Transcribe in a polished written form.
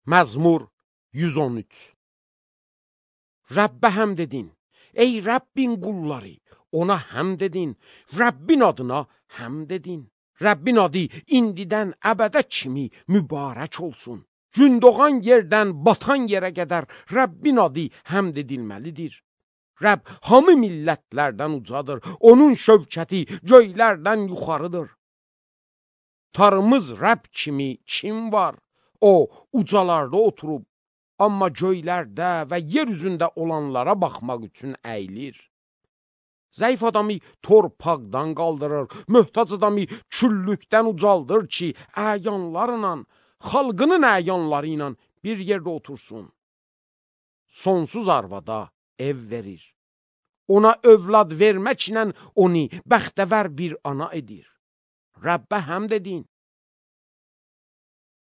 Məzmur 113. Rəbbə həmd edin, ey Rəbbin qulları, ona həmd edin, Rəbbin adına həmd edin. Rəbbin adı indidən əbədə kimi mübarək olsun. Gün doğan yerdən batan yerə qədər Rəbbin adı həmd edilməlidir. Rəbb hamı millətlərdən ucadır, onun şövkəti göylərdən yuxarıdır. Tarımız Rəbb kimi kim var? O, ucalarda oturub, amma göylərdə və yer üzündə olanlara baxmaq üçün əyilir. Zəif adamı torpaqdan qaldırır, möhtac adamı küllükdən ucaldır ki, əyanlarla, xalqının əyanları ilə bir yerdə otursun. Sonsuz arvada ev verir. Ona övlad verməklə onu bəxtəvər bir ana edir. Rəbbə həmd edin.